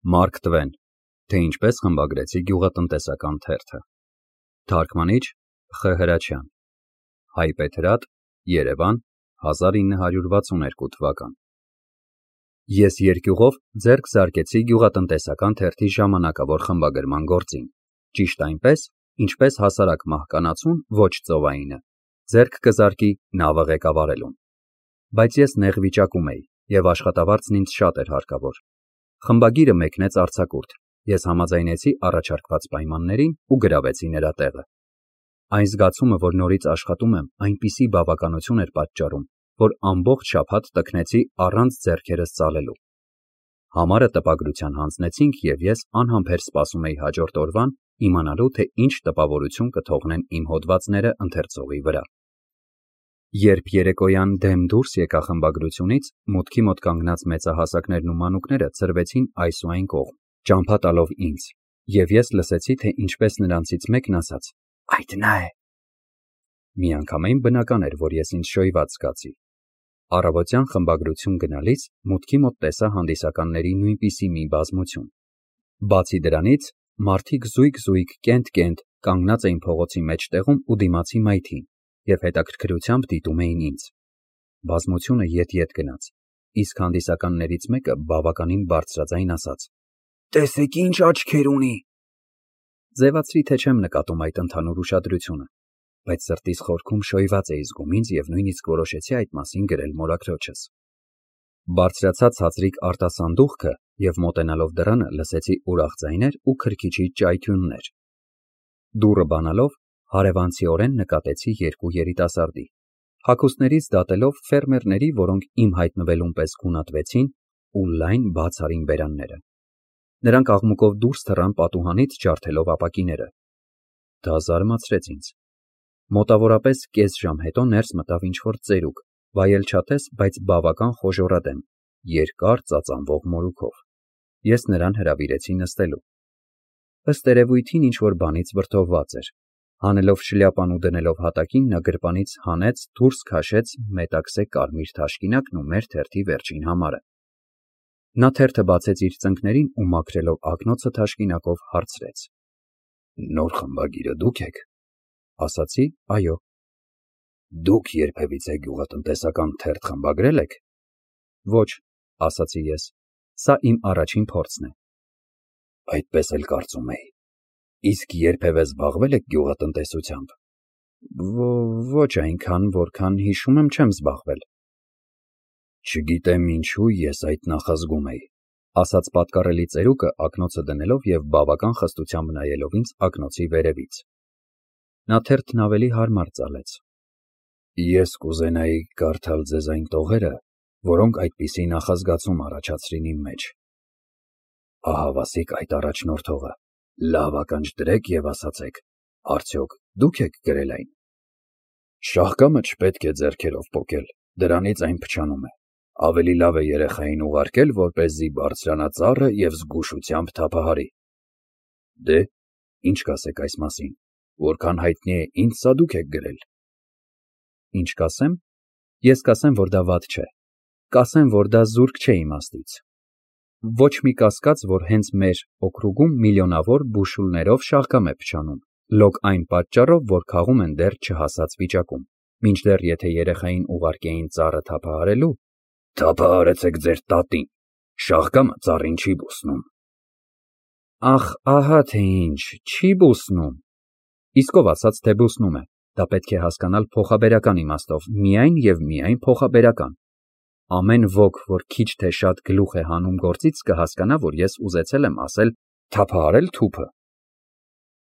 Մարկ Տվեն, թե ինչպես խմբագրեցի գյուղատնտեսական թերթը։ Թարգմանիչ Խ. Հրաչյան, Հայպեթրատ, Երևան, 1962 թվական։ Ես երկյուղով ձեռք զարկեցի գյուղատնտեսական թերթի ժամանակավոր խմբագրման գործին, ճիշտ այնպես, ինչպես հասարակ մահկանացուն ոչ ծովայինը ձեռք կզարկի նավը ղեկավարելուն։ Բայց ես նեղ վիճակում էի, և աշխատավարձն ինձ շատ էր հարկավոր։ Խմբագիրը մեկնեց արձակուրդ, ես համաձայնեցի առաջարկված պայմաններին ու գրավեցի նրա տեղը։ Այն զգացումը, որ նորից աշխատում եմ, այնպիսի բավականություն էր պատճառում, որ ամբողջ շաբաթ տքնեցի առանց ձեռքերս ծալելու։ Համարը տպագրության հանձնեցինք, և ես անհամբեր սպասում էի հաջորդ օրվան, իմանալու, թե ինչ տպավորություն կթողնեն իմ հոդվածները ընթերցողի վրա։ Երբ երեկոյան դեմ դուրս եկա խմբագրությունից, մուտքի մոտ կանգնած մեծահասակներն ու մանուկները ցրվեցին այս ու այն կողմ, ճամփա տալով ինձ, և ես լսեցի, թե ինչպես նրանցից մեկն ասաց. «Այդ նա է»։ Միանգամայն բնական էր, որ ես ինձ շոյված զգացի։ Առավոտյան խմբագրություն գնալիս մուտքի մոտ տեսա հանդիսականների նույնպիսի մի բազմություն։ Բացի դրանից, մարդիկ զույգ-զույգ, կենտ-կենտ կանգնած էին փողոցի մեջտեղում ու դիմացի մայթին և հետաքրքրությամբ դիտում էին ինձ։ Բազմությունը ետ-ետ գնաց, իսկ հանդիսականներից մեկը բավականին բարձրաձայն ասաց. «Տեսեք ինչ աչքեր ունի»։ Ձևացրի, թե չեմ նկատում այդ ընդհանուր ուշադրությունը, բայց սրտիս խորքում շոյված էի զգում ինձ և նույնիսկ որոշեցի այդ մասին գրել մորաքրոջս։ Բարձրացա ցածրիկ արտասանդուղքը և մոտենալով դռանը լսեցի ուրախ ձայներ ու քրքիջի ճայթյուններ։ Դուռը բանալով հարևանցիորեն նկատեցի երկու երիտասարդի, հագուստներից դատելով ֆերմերների, որոնք իմ հայտնվելուն պես գունատվեցին ու լայն բաց արին բերանները։ Նրանք աղմուկով դուրս թռան պատուհանից ջարդելով ապակիները։ Դա զարմացրեց ինձ։ Մոտավորապես կես ժամ հետո ներս մտավ ինչ-որ ծերուկ, վայելչատես, բայց բավական խոժոռադեմ, երկար ծածանվող մորուքով։ Ես նրան հրավիրեցի նստելու։ Ըստ երևույթին ինչ-որ բանից վրդովված էր։ Հանելով շլյապան ու դնելով հատակին, նա գրպանից հանեց, դուրս քաշեց մետաքսե կարմիր թաշկինակն ու մեր թերթի վերջին համարը։ Նա թերթը բացեց իր ծնկներին ու մաքրելով ակնոցը թաշկինակով հարցրեց. «Նոր խմբագիրը դուք եք»։ Ասացի. «Այո»։ Դուք երբևիցե գյուղատնտեսական թերթ խմբագրել եք։ Ոչ, ասացի ես, սա իմ առաջին փորձն է։ Այդպես էլ կարծում էի։ Իսկ երբևէ զբաղվել եք գյուղատնտեսությամբ։ Ոչ այնքան, որքան հիշում եմ, չեմ զբաղվել։ Չգիտեմ ինչու ես այդ նախազգում էի, ասաց պատկառելի ծերուկը ակնոցը դնելով և բավական խստությամբ նայելով ինձ ակնոցի վերևից։ Նա թերթն ավելի հարմար ծալեց։ Ես կուզենայի կարդալ ձեզ այն տողերը, որոնք այդպիսի նախազգացում առաջացրին իմ մեջ։ Ահավասիկ այդ առաջնորդողը, լավ ականջ դրեք և ասացեք, արդյոք դուք եք գրել այն։ Շաղկամը չպետք է ձեռքերով պոկել, դրանից այն փչանում է։ Ավելի լավ է երեխային ուղարկել, որպեսզի բարձրանա ծառը և զգուշությամբ թափահարի։ Դե, ինչ կասեք այս մասին, որքան հայտնի է ինձ սա դուք եք գրել։ Ինչ կասեմ։ Ես կասեմ, որ դա վատ չէ։ Կասեմ, որ դա զուրկ չէ իմաստից։ Ոչ մի կասկած, որ հենց մեր օքրուգում միլիոնավոր բուշուլներով շաղկամ է փչանում, լոկ այն պատճառով, որ քաղում են դեռ չհասած վիճակում, մինչդեռ եթե երեխային ուղարկեին ծառը թափահարելու, թափահարեցեք ձեր տատին, շաղկամը ծառին չի բուսնում։ Ախ, ահա թե ինչ, չի բուսնում։ Իսկ ով ասաց, թե բուսնում է, դա պետք է հասկանալ փոխաբերական իմաստով, միայն և միայն փոխաբերական։ Ամեն ոք, որ քիչ թե շատ գլուխ է հանում գործից, կհասկանա, որ ես ուզեցել եմ ասել թափահարել թուփը։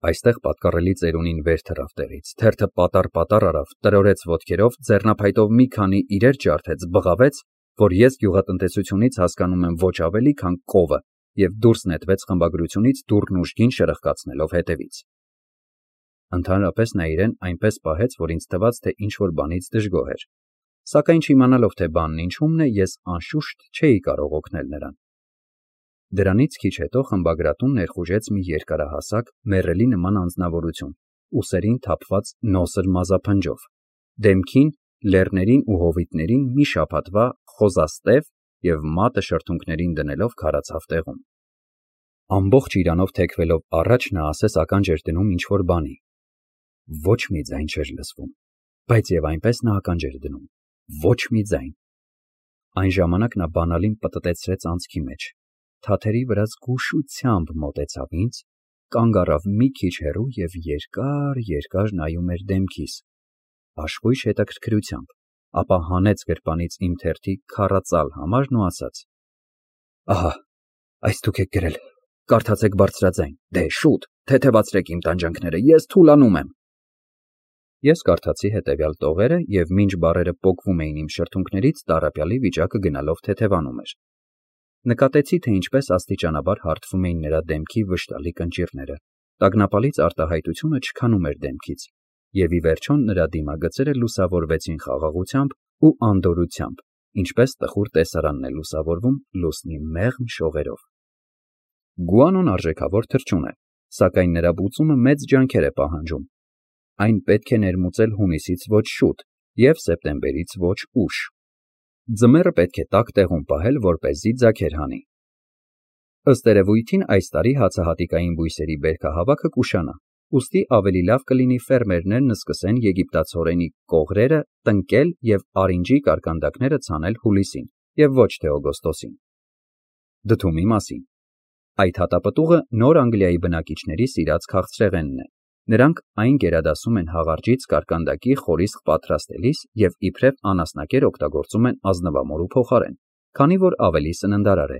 Այստեղ պատկառելի ծերունին վեր թռավ տեղից, թերթը պատառ-պատառ արավ, տրորեց ոտքերով, ձեռնափայտով մի քանի իրեր ջարդեց, բղավեց, որ ես գյուղատնտեսությունից հասկանում եմ ոչ ավելի, քան կովը, և դուրս նետվեց խմբագրությունից դուռն ուժգին շրխկացնելով հետևից։ Ընդհանրապես նա իրեն այնպես պահեց, որ ինձ թվաց, թե ինչ-որ բանից դժգոհ էր։ Սակայն չիմանալով, թե բանն ինչումն է, ես անշուշտ չէի կարող օգնել նրան։ Դրանից քիչ հետո խմբագրատուն ներխուժեց մի երկարահասակ, մեռելի նման անձնավորություն, ուսերին թափված նոսր մազափնջով, դեմքին, լեռներին ու հովիտներին մի շաբաթվա խոզաստև և մատը շրթունքներին դնելով քարացավ տեղում։ Ամբողջ իրանով թեքվելով առաջ նա ասես ականջ էր դնում ինչ-որ բանի։ Ոչ մի ձայն չէր լսվում, բայց եւ այնպես նա ականջ էր դնում։ Ոչ մի ձայն։ Այն ժամանակ նա բանալին պտտեցրեց անցքի մեջ, թաթերի վրա զգուշությամբ մոտեցավ ինձ, կանգ առավ մի քիչ հեռու եւ երկար նայում էր դեմքիս, հաշվույժ հետաքրքրությամբ, ապա հանեց գրպանից իմ թերթի քառածալ համարն ու ասաց. Ահա, այս դուք եք գրել, կարդացեք բարձրաձայն, դե շուտ, թեթևացրեք իմ տանջանքները, ես թուլանում եմ։ Ես կարդացի հետևյալ տողերը եւ մինչ բառերը պոկվում էին իմ շրթունքներից, տառապյալի վիճակը գնալով թեթևանում էր։ Նկատեցի, թե ինչպես աստիճանաբար հարթվում էին նրա դեմքի վշտալի կնճիռները, տագնապալից արտահայտությունը չքանում էր դեմքից, եւ ի վերջո նրա դիմագծերը լուսավորվեցին խաղաղությամբ ու անդորրությամբ, ինչպես տխուր տեսարանն է լուսավորվում լուսնի մեղմ շողերով։ Գուանոն արժեքավոր թռչուն է, սակայն նրա բուծումը մեծ ջանքեր է պահանջում։ Այն պետք է ներմուծել հունիսից ոչ շուտ եւ սեպտեմբերից ոչ ուշ։ Ձմեռը պետք է տաք տեղում պահել, որպեսզի ձագեր հանի։ Ըստ երևույթին այս տարի հացահատիկային բույսերի բերքահավաքը կուշանա, ուստի ավելի լավ կլինի ֆերմերներն սկսեն եգիպտացորենի կողրերը տնկել եւ արինջի կարկանդակները ցանել հուլիսին եւ ոչ թե օգոստոսին։ Դդումի մասին։ Այդ հատապտուղը նոր Անգլիայի բնակիչների սիրած քաղցրեղենն է։ Նրանք այն գերադասում են հաղարջից կարկանդակի խորիսկ պատրաստելիս եւ իբրև անասնակեր օգտագործում են ազնվամորու փոխարեն, քանի որ ավելի սննդարար է։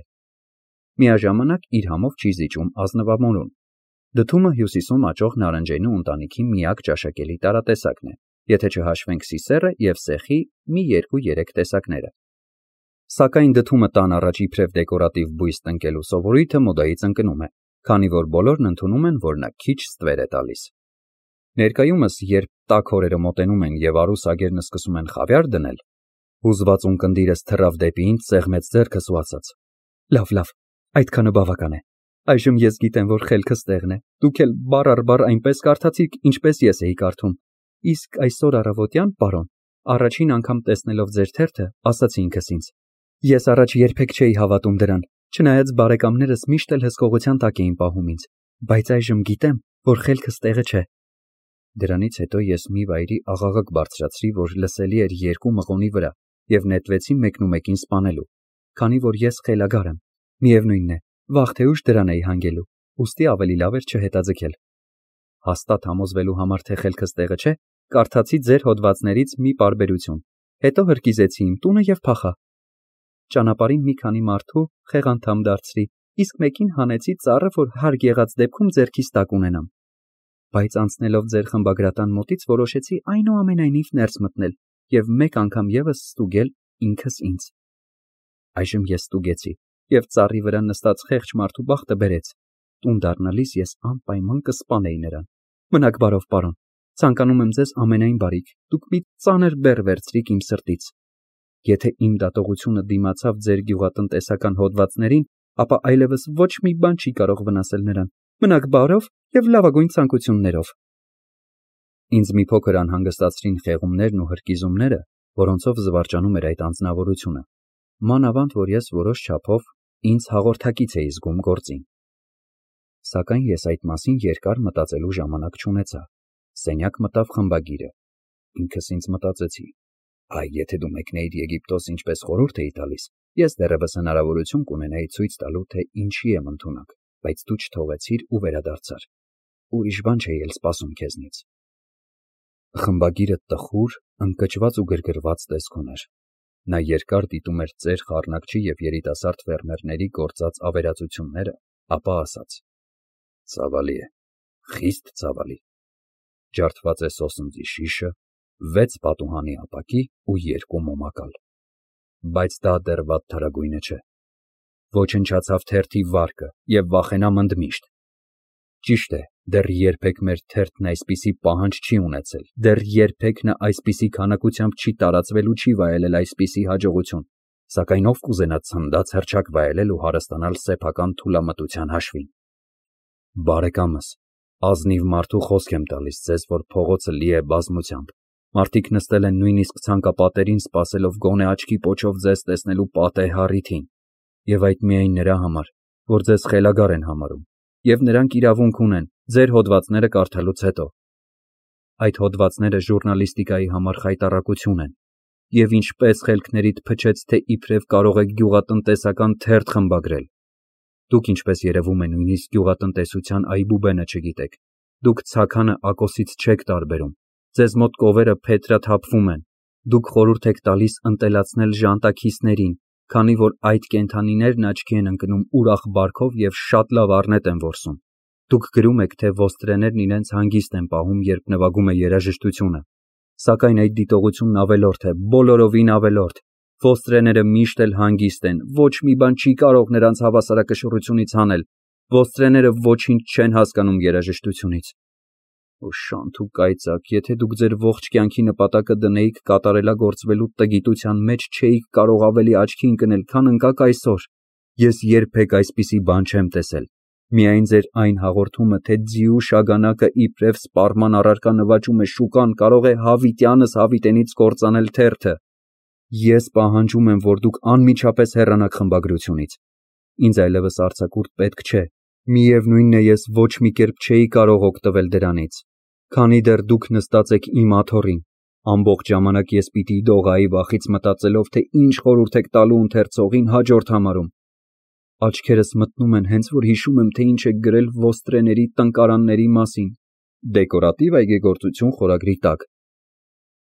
Միաժամանակ իր համով չի զիջում ազնվամորուն։ Դդումը հյուսիսում աճող նարնջենու ընտանիքի միակ ճաշակելի տարատեսակն է, եթե չհաշվենք սիսեռը եւ սեխի մի 2-3 տեսակները։ Սակայն դդումը տան առաջ իբրև դեկորատիվ բույս տնկելու սովորույթը մոդայից ընկնում է, քանի որ բոլորն ընդունում են, որ նա քիչ ստվեր է տալիս։ Ներկայումս, երբ տաք օրերը մոտենում են եւ արուսագերն սկսում են խավյար դնել, հուզված ունկնդիրս թռավ դեպի ինձ, սեղմեց ձեռքս ու ասաց. Լավ, այդքանը բավական է։ Այժմ ես գիտեմ, որ խելքս տեղն է։ Դուք էլ բառ առ բառ այնպես կարդացիք, ինչպես ես էի կարդում։ Իսկ այսօր առավոտյան, պարոն, առաջին անգամ տեսնելով ձեր թերթը, ասացի ինքս ինձ. ես առաջ երբեք չէի հավատում դրան, չնայած բարեկամներս միշտ էլ հսկողության տակ էին պահում ինձ, բայց այժմ գիտեմ, որ խելքս տեղը չէ։ Դրանից հետո ես մի վայրի աղաղակ բարձրացրի, որ լսելի էր 2 մղոնի վրա, եւ նետվեցի մեկնումեկին սպանելու, քանի որ ես խելագար եմ, միևնույնն է, վաղ թե ուշ դրան էի հանգելու, ուստի ավելի լավ էր չհետաձգել։ Հաստատ համոզվելու համար, թե խելքս տեղը չէ, կարդացի ձեր հոդվածներից մի պարբերություն, հետո հրկիզեցի իմ տունը եւ փախա։ Ճանապարհին մի քանի մարդու խեղանդամ դարձրի, իսկ մեկին հանեցի ծառը, որ հարկ եղած դեպքում ձեռքիս տակ ունենամ։ Բայց անցնելով ձեր խմբագրատան մոտից որոշեցի այնուամենայնիվ ներս մտնել եւ մեկ անգամ եւս ստուգել ինքս ինձ։ Այժմ ես ստուգեցի եւ ծառի վրա նստած խեղճ մարդու բախտը բերեց։ Տուն դառնալիս ես անպայման կսպանեի նրան։ Մնաք բարով, պարոն, ցանկանում եմ ձեզ ամենայն բարիք, դուք մի ծանր բեռ վերցրիք իմ սրտից։ Եթե իմ դատողությունը դիմացավ ձեր գյուղատնտեսական հոդվածներին, ապա այլևս ոչ մի բան չի կարող վնասել նրան։ Մնաք բարով եւ լավագույն ցանկություններով։ Ինձ մի փոքր անհանգստացրին խեղումներն ու հրկիզումները, որոնցով զվարճանում էր այդ անձնավորությունը։ Մանավանդ, որ ես որոշ չափով ինձ հաղորդակից էի զգում գործին։ Սակայն ես այդ մասին երկար մտածելու ժամանակ չունեցա։ Սենյակ մտավ խմբագիրը։ Ինքս ինձ մտածեցի. այ եթե դու մեկնեիր Եգիպտոս, ինչպես խորհուրդ էի տալիս, ես դեռևս հնարավորություն կունենայի ցույց տալու, թե ինչի եմ ընդունակ, բայց դու չթողեցիր ու վերադարձար։ Ուրիշ բան չէի էլ սպասում քեզնից։ Խմբագիրը տխուր, ընկճված ու գրգռված տեսք ուներ։ Նա երկար դիտում էր ծեր խառնակչի եւ երիտասարդ ֆերմերների գործած ավերածությունները, ապա ասաց. Ցավալի է, խիստ ցավալի։ Ջարդված է սոսնձի շիշը, 6 պատուհանի ապակի ու 2 մոմակալ։ Բայց դա դեռ վատթարագույնը չէ։ Ոչնչացավ թերթի վարկը եւ վախենամ ընդմիշտ։ Ճիշտ է, դեռ երբեք մեր թերթն այսպիսի պահանջ չի ունեցել, դեռ երբեք նա այսպիսի քանակությամբ չի տարածվել ու չի վայելել այսպիսի հաջողություն, սակայն ով կուզենա ցնդած հռչակ վայելել ու հարստանալ սեփական թուլամտության հաշվին։ Բարեկամս, ազնիվ մարդու խոսք եմ տալիս ձեզ, որ փողոցը լի է բազմությամբ։ Մարդիկ նստել են նույնիսկ ցանկապատերին, սպասելով գոնե աչքի պոչով ձեզ տեսնելու պատեհ առիթին, եւ այդ միայն նրա համար, որ ձեզ խելագար են համարում, և նրանք իրավունք ունեն ձեր հոդվածները կարդալուց հետո։ Այդ հոդվածները ժուռնալիստիկայի համար խայտառակություն են, և ինչպես խելքներիդ փչեց, թե իբրև կարող եք գյուղատնտեսական թերթ խմբագրել։ Դուք, ինչպես երևում է, նույնիսկ գյուղատնտեսության այբուբենը չգիտեք։ Դուք ցաքանը ակոսից չեք տարբերում։ Ձեզ մոտ կովերը փետրաթափվում են։ Դուք խորհուրդ եք տալիս ընտելացնել ժանտաքիսներին, քանի որ այդ կենդանիներն աչքի են ընկնում ուրախ բարքով և շատ լավ առնետ են որսում։ Դուք գրում եք, թե ոստրեներն իրենց հանգիստ են պահում, երբ նվագում է երաժշտությունը։ Սակայն այդ դիտողությունն ավելորդ է, բոլորովին ավելորդ։ Ոստրեները միշտ էլ հանգիստ են, ոչ մի բան չի կարող նրանց հավասարակշռությունից հանել։ Ոստրեները ոչինչ չեն հասկանում երաժշտությունից։ Օշանտ ու կայծակ, եթե դուք ձեր ողջ կյանքի նպատակը դնեիք կատարելագործվելու տգիտության մեջ, չէիք կարող ավելի աչքի ընկնել, քան ընկաք այսօր։ Ես երբեք այսպիսի բան չեմ տեսել։ Միայն ձեր այն հաղորդումը, թե ձիու շագանակը իբրև սպառման առարկա նվաճում է շուկան, կարող է հավիտյանս հավիտենից կործանել թերթը։ Ես պահանջում եմ, որ դուք անմիջապես հեռանաք խմբագրությունից։ Ինձ այլևս արձակուրդ պետք չէ։ Միևնույնն է, ես ոչ մի կերպ չէի կարող օգտվել դրանից։ Քանի դեռ դուք նստած եք իմ աթոռին, ամբողջ ժամանակ ես պիտի դողայի վախից մտածելով, թե ինչ խորհուրդ եք տալու ընթերցողին հաջորդ համարում։ Աչքերս մտնում են, հենց որ հիշում եմ, թե ինչ եք գրել ոստրեների տնկարանների մասին, դեկորատիվ այգեգործություն խորագրի տակ։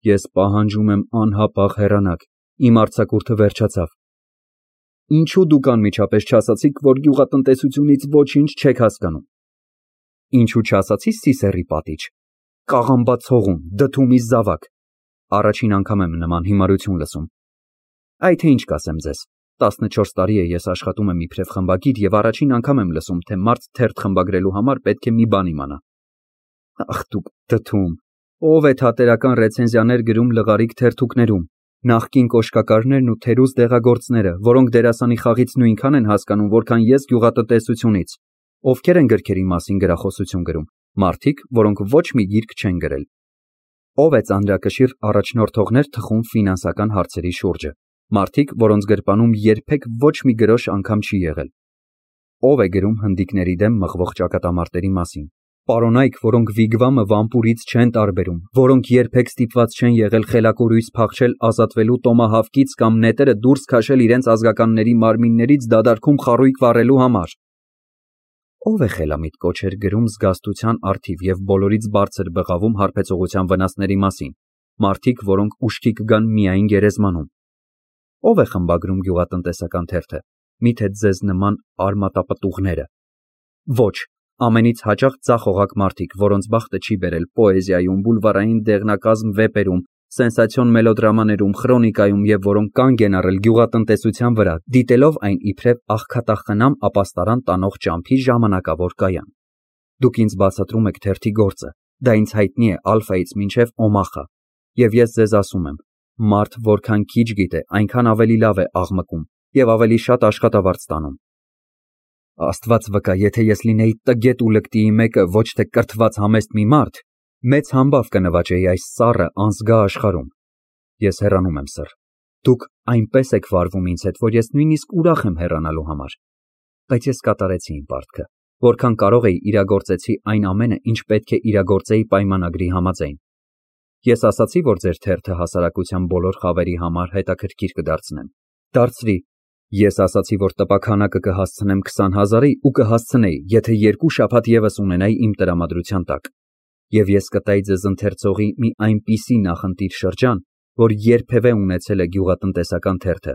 Ես պահանջում եմ անհապաղ հեռանաք, իմ արձակուրդը վերջացավ։ Ինչու դուք անմիջապես չասացիք, որ գյուղատնտեսությունից ոչինչ չեք հասկանում։ Ինչու չասացի Սիսեռի պատիչ, կաղամբած հողում, դդումի զավակ։ Առաջին անգամ եմ նման հիմարություն լսում։ Այ թե ինչ կասեմ ձեզ, 14 տարի է ես աշխատում եմ իբրև խմբագիր և առաջին անգամ եմ լսում, թե մարդ թերթ խմբագրելու համար պետք է մի բան իմանա։ Ախ դուք դդում, ով է թատերական ռեցենզիաներ գրում լղարիկ թերթուկներում, նախկին կոշկակարներն ու թերուզ դեղագործները, որոնք դերասանի խաղից նույնքան են հասկանում, որքան ես գյուղատնտեսությունից։ Ովքեր են գրքերի մասին գրախոսություն գրում, մարդիկ, որոնք ոչ մի գիրք չեն գրել։ Ով է ծանրակշիռ առաջնորդողներ թխում ֆինանսական հարցերի շուրջը, մարդիկ, որոնց գրպանում երբեք ոչ մի գրոշ անգամ չի եղել։ Ով է գրում հնդիկների դեմ մղվող ճակատամարտերի մասին, պարոնայք, որոնք վիգվամը վամպուրից չեն տարբերում, որոնք երբեք ստիպված չեն եղել խելակուրույս փախչել ազատվելու տոմահավկից կամ նետերը դուրս քաշել իրենց ազգականների մարմիններից դադարքում խարույկ վառելու համար։ Ով է խելամիտ կոչեր գրում զգաստության առթիվ և բոլորից բարձր բղավում հարբեցողության վնասների մասին, մարդիկ, որոնք ուշքի կգան միայն գերեզմանում։ Ով է խմբագրում գյուղատնտեսական թերթը, միթե ձեզ նման արմատապտուղները։ Ոչ, ամենից հաճախ ձախողակ մարդիկ, որոնց բախտը չի բերել պոեզիայում, բուլվարային դեղնակազմ վեպերում, սենսացիոն մելոդրամաներում, խրոնիկայում և որոնք կանգ են առել գյուղատնտեսության վրա, դիտելով այն իբրև աղքատախնամ ապաստարան տանող ճամփի ժամանակավոր կայան։ Դուք ինձ բացատրում եք թերթի գործը, դա ինձ հայտնի է ալֆայից մինչև օմախա, և ես ձեզ ասում եմ, մարդ որքան քիչ գիտե, այնքան ավելի լավ է աղմկում և ավելի շատ աշխատավարձ ստանում։ Աստված վկա, եթե ես լինեի տգետ ու լկտիի մեկը, ոչ թե կրթված համեստ մի մարդ, մեծ համբավ կնվաճեի այս սառը անզգա աշխարհում։ Ես հեռանում եմ, սըր։ Դուք այնպես եք վարվում ինձ հետ, որ ես նույնիսկ ուրախ եմ հեռանալու համար։ Բայց ես կատարեցի իմ պարտքը, որքան կարող էի իրագործեցի այն ամենը, ինչ պետք է իրագործեի պայմանագրի համաձայն։ Ես ասացի, որ ձեր թերթը հասարակության բոլոր խավերի համար հետաքրքիր կդարձնեմ։ Դարձրի։ Ես ասացի, որ տպաքանակը կհասցնեմ 20,000-ի ու կհասցնեի, եթե 2 շաբաթ ևս ունենայի իմ տրամադրության տակ։ Եվ ես կտայի ձեզ ընթերցողի մի այնպիսի նախընտիր շրջան, որ երբևէ ունեցել է գյուղատնտեսական թերթը։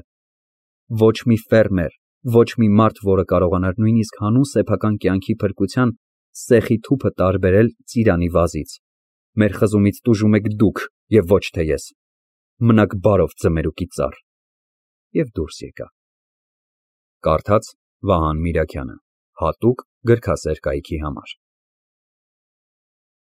Ոչ մի ֆերմեր, ոչ մի մարդ, որը կարողանար նույնիսկ հանուն սեփական կյանքի փրկության սեխի թուփը տարբերել ծիրանի վազից։ Մեր խզումից տուժում եք դուք և ոչ թե ես։ Մնաք բարով ձմերուկի ծառ։ Եվ դուրս եկա։ Կարդաց Վահան Միրաքյանը, հատուկ գրքասեր կայքի համար։